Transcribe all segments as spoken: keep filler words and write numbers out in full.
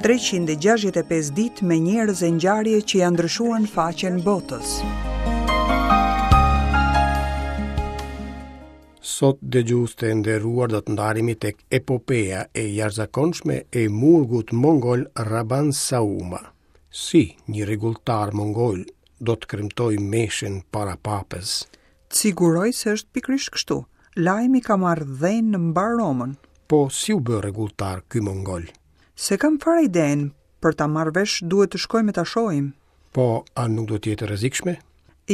treqind e gjashtëdhjetë e pesë ditë me njerëz e ngjarje që janë ndryshuar në faqen botës. Sot dëgjues të nderuar do të ndalemi tek epopeja e jashtëzakonshme e murgut mongol Raban Sauma. Si një rregulltar mongol do të kremtoj meshën para papës? Të siguroj se është pikërisht kështu. Lajmi ka marrë dhenë në mbar Romën. Po si u bë rregulltar ky mongol? Se kam fare idenë, për ta marrë vesh duhet të shkojmë e ta shohim. Po, a nuk do të jetë e rrezikshme?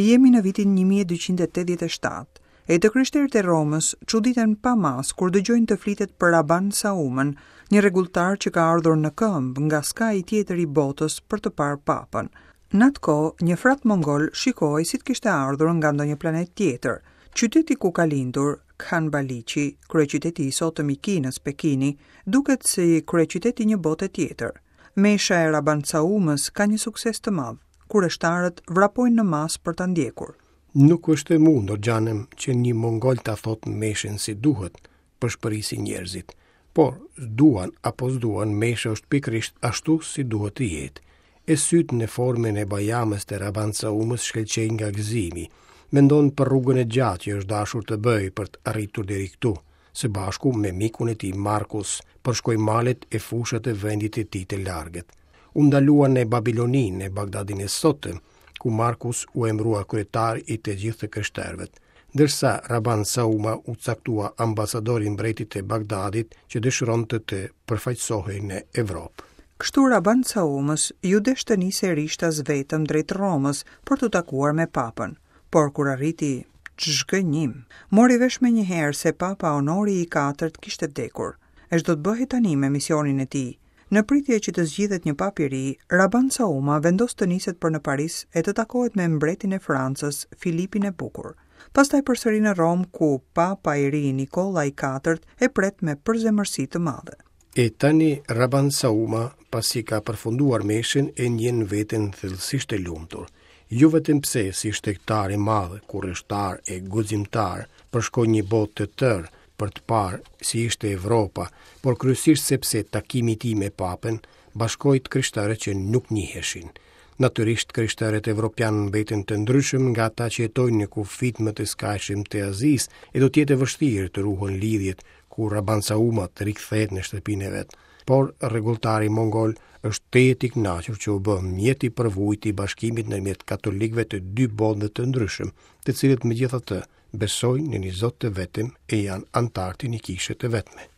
Jemi në vitin një mijë e dyqind e tetëdhjetë e shtatë. E të krishterët e Romës çuditen pa mas kur dëgjojnë të flitet për Raban Saumën, një rregulltar që ka ardhur në këmbë nga skaji tjetër i botës për të parë papën. Në atë kohë, një frat mongol shikohej si të kishte ardhur nga ndonjë planet tjetër. Qyteti ku ka lindur, Khan Baliqi, kryeqyteti i sotëm i Kinës, Pekini, duket si kryeqyteti i një bote tjetër. Mesha e Raban Saumës ka një sukses të madh, kureshtarët vrapojnë në masë për ta ndjekur. Nuk është e mundur, xhanëm, që një mongol ta thot meshën si duhet, pëshpërisin njerëzit. Por, duan apo s'duan, mesha është pikërisht ashtu si duhet të jetë. E sytë në formën e bajamës të Raban Saumës shkëlqejnë nga gëzimi. Mendon për rrugën e gjatë që është dashur të bëjë për të arritur deri këtu, së bashku me mikun e tij Markus, përshkoi malet e fushat e vendit të tij të largët. U ndalua në Babiloninë, në Bagdadin e sotëm, ku Markus u emërua kryetar i të gjithë të krishterëve, ndërsa Raban Sauma u caktua ambasador i mbretit të Bagdadit që dëshironte të përfaqësohej në Evropë. Kështu Raban Saumës ju desh të nisej rishtas vetëm drejt Romës për t'u takuar me papën, por kur arriti ç'zhgënjim, mori vesh menjëherë se papa Honori i katërt kishte vdekur. E ç'do të bëhej tani me misionin e tij? Në pritje që të zgjidhet një papë i ri, Raban Sauma vendos të niset për në Paris e të takohet me mbretin e Francës, Filipin e Bukur. Pastaj përsëri në Romë, ku papa i ri Nikolla i katërt e pret me përzemërsi të madhe. E tani Raban Sauma, pasi ka përfunduar meshën, e ndjen veten thellësisht e lumtur. Jo vetëm pse si shtegtar i madh, kurreshtar e guximtar, përshkoi një botë të tërë për të parë si ishte Evropa, por kryesisht sepse takimi i tij me papën bashkoi të krishterët që nuk njiheshin. Natyrisht krishterët evropian mbeten të ndryshëm nga ata që jetojnë në kufit më të skajshëm të Azisë, e do të jetë e vështirë të ruhen lidhjet kur Raban Sauma të rikthehet në shtëpinë e vet. Por rregulltari mongol është tejet i kënaqur që u bë mjet i përvujt i bashkimit ndërmjet katolikëve të dy botëve të ndryshëm, të cilët megjithatë besojnë në një Zot të vetëm e janë anëtarë të një kishe të vetme.